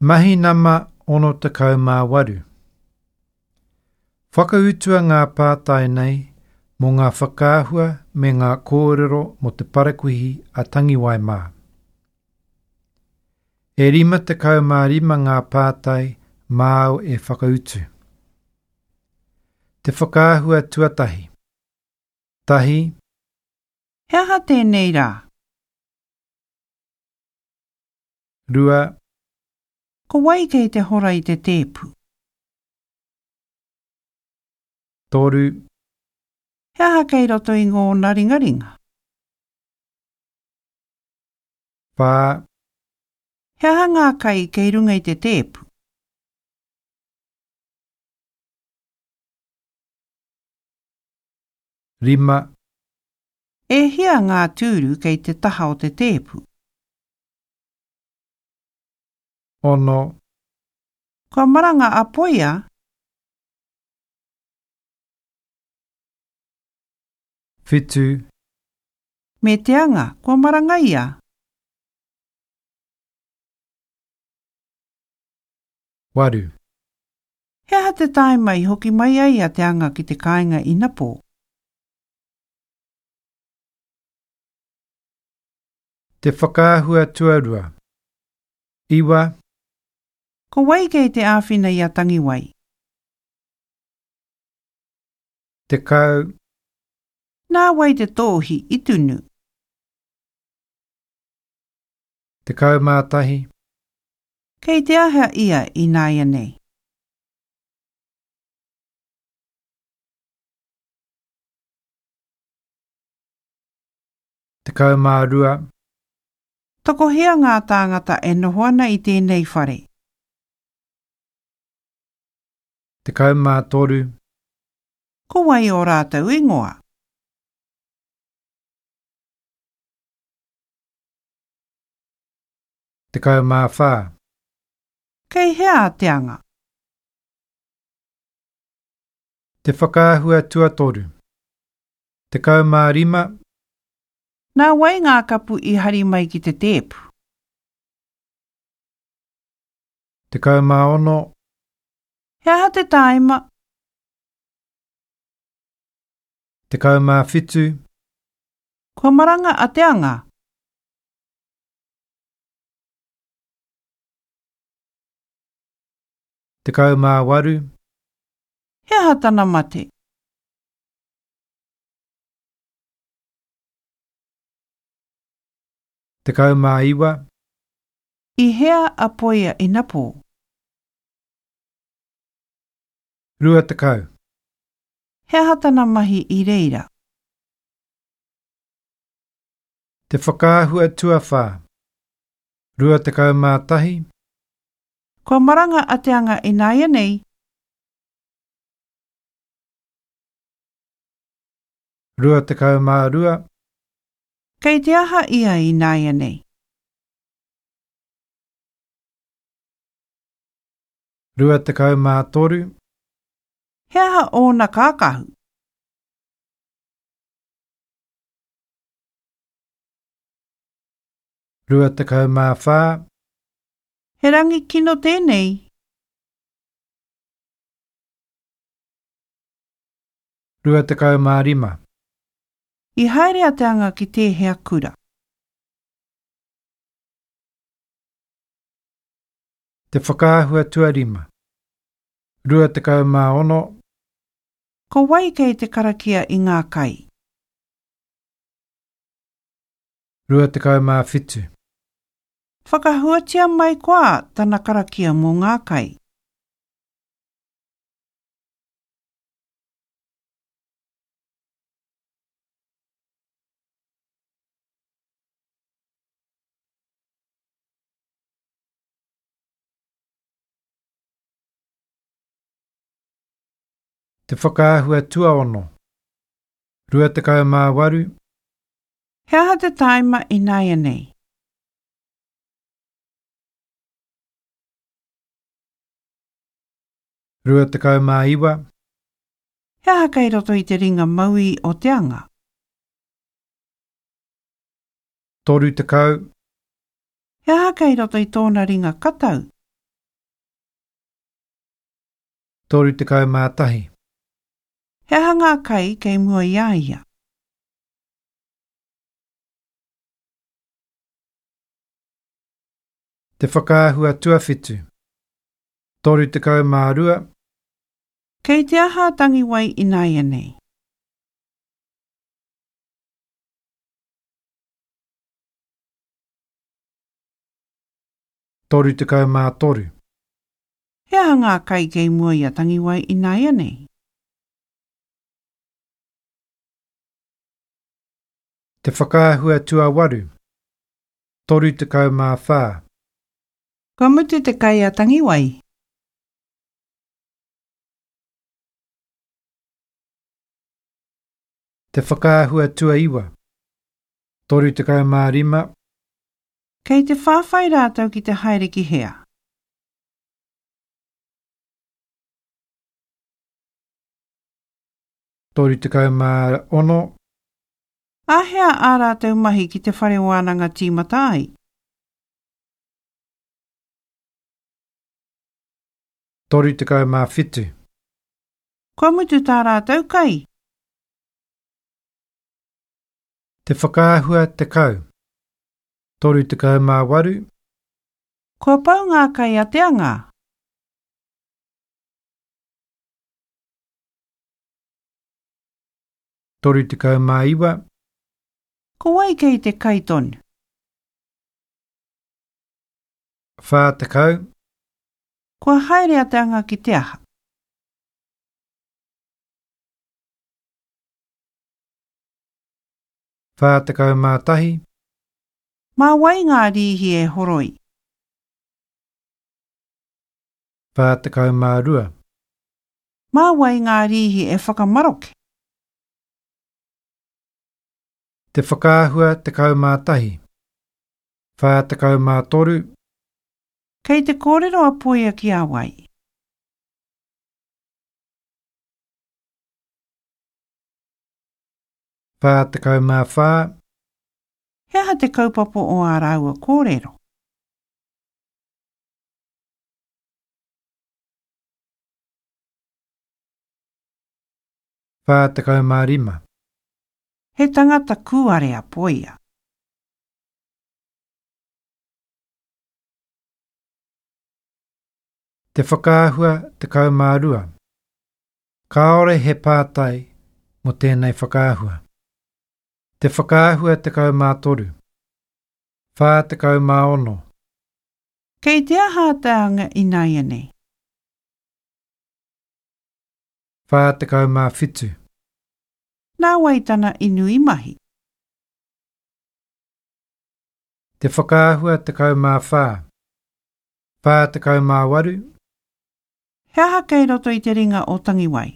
Mahi nama 68. Whakautua ngā pātai nei mō ngā whakaahua me ngā kōrero mō te parakuihi a Tangiwai mā. E 55 ngā pātai māu e whakautu. Te whakaahua tuatahi. Tahi. He aha tēnei rā? 2. Ko wai kei te hora i te tēpu? 3. He aha kei roto i ngōna ringaringa? 4. He aha ngā kai kei runga i te tēpu? 5. E hia ngā tūru kei te taha o te tēpu? 6. Kua maranga a Poia? 7. Me te anga, kua maranga ia? 8. He aha te tāima i hoki mai ai a Te Anga ki te kāinga inapō? Te whakaahua tuarua. Iwa. Ko wai kei te āwhina i a Tangiwai? 10. Nā wai te tōhi i tunu? 11. Kei te aha ia ināianei? 12. Tokohia ngā tāngata e noho ana i tēnei whare? 13. Ko wai ō rātou ingoa? 14. Kei hea a Te Anga? Te whakaahua tuatoru. 15. Nā wai ngā kapu i hari mai ki te tēpu? 16. He aha te tāima? 17. Kua maranga a Te Anga? 18. He aha tana mate? 19. I hea a Poia inapō? 20. He aha tana mahi i reira? Te whakaahua tuawhā. 21. Kua maranga a Te Anga ināianei. 22. Kei te aha ia ināianei? 23. He aha ōna kākahu? 24. He rangi kino tēnei. 25. I haere a Te Anga ki tēhea kura? Te whakaahua tuarima. 26. Ko wai kei te karakia i ngā kai? 27. Whakahuatia mai koa tana karakia mō ngā kai. Te whakaahua tuaono. 28. He aha te tāima ināianei? 29. He aha kei roto i te ringa mauī o te anga? 30. He aha kei roto i tōna ringa katau? 31. He aha ngā kai kei mua i a ia? Te whakaahua tuawhitu. 32. Kei te aha a Tangiwai ināianei? 33. He aha ngā kai kei mua i a Tangiwai ināianei? Te whakaahua tuawaru. 34. Kua mutu te kai a Tangiwai? Te whakaahua tuaiwa. 35. Kei te whawhai rātou ki te haere ki hea? 36. Āhea ā rātou mahi ki te whare wānanga tīmata ai? 37. Kua mutu tā rātou kai? Te whakaahua 10. 38. Kua pau ngā kai a te anga? 39. Ko wai kei te kai tonu? 40. Kua haere a Te Anga ki te aha? 41. Mā wai ngā rīhi e horoi? 42. Mā wai ngā rīhi e whakamaroke? Te whakaahua 11. 43. Kei te kōrero a Poia ki a wai? 44. He aha te kaupapa o ā rāua kōrero? 45. He tangata kūare a Poia. Te whakaahua 12. Kāore he pātai mō tēnei whakaahua. Te whakaahua 13. 46. Kei te aha a Te Anga ināianei? 47. Nā wai tana inu i mahi? Te whakaahua 14. 48. He aha kei roto i te ringa o Tangiwai?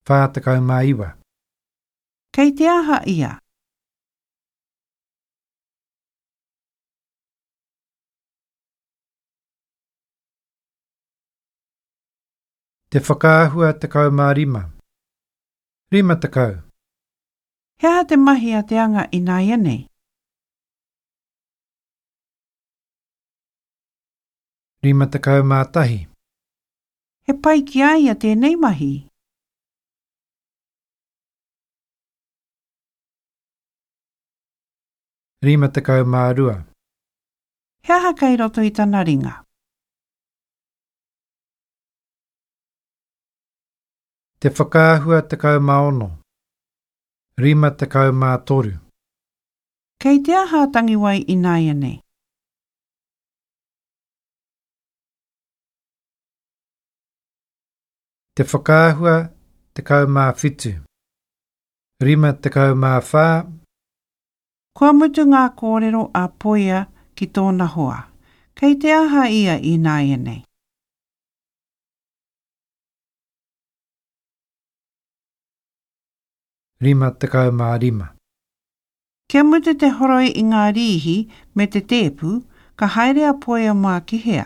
49. Kei te aha ia? Te whakaahua 15. 50. He aha te mahi a Te Anga ināianei? 51. He pai ki a ia tēnei mahi? 52. He aha kei roto i tana ringa? Te whakaahua 16. 53. Kei te aha a Tangiwai ināianei? Te whakaahua 17. 54. Kua mutu ngā kōrero a Poia ki tōna hoa. Kei te aha ia ināianei? 55. Kia mutu te horoi i ngā rīhi me te tēpu, ka haere a Poia mā ki hea?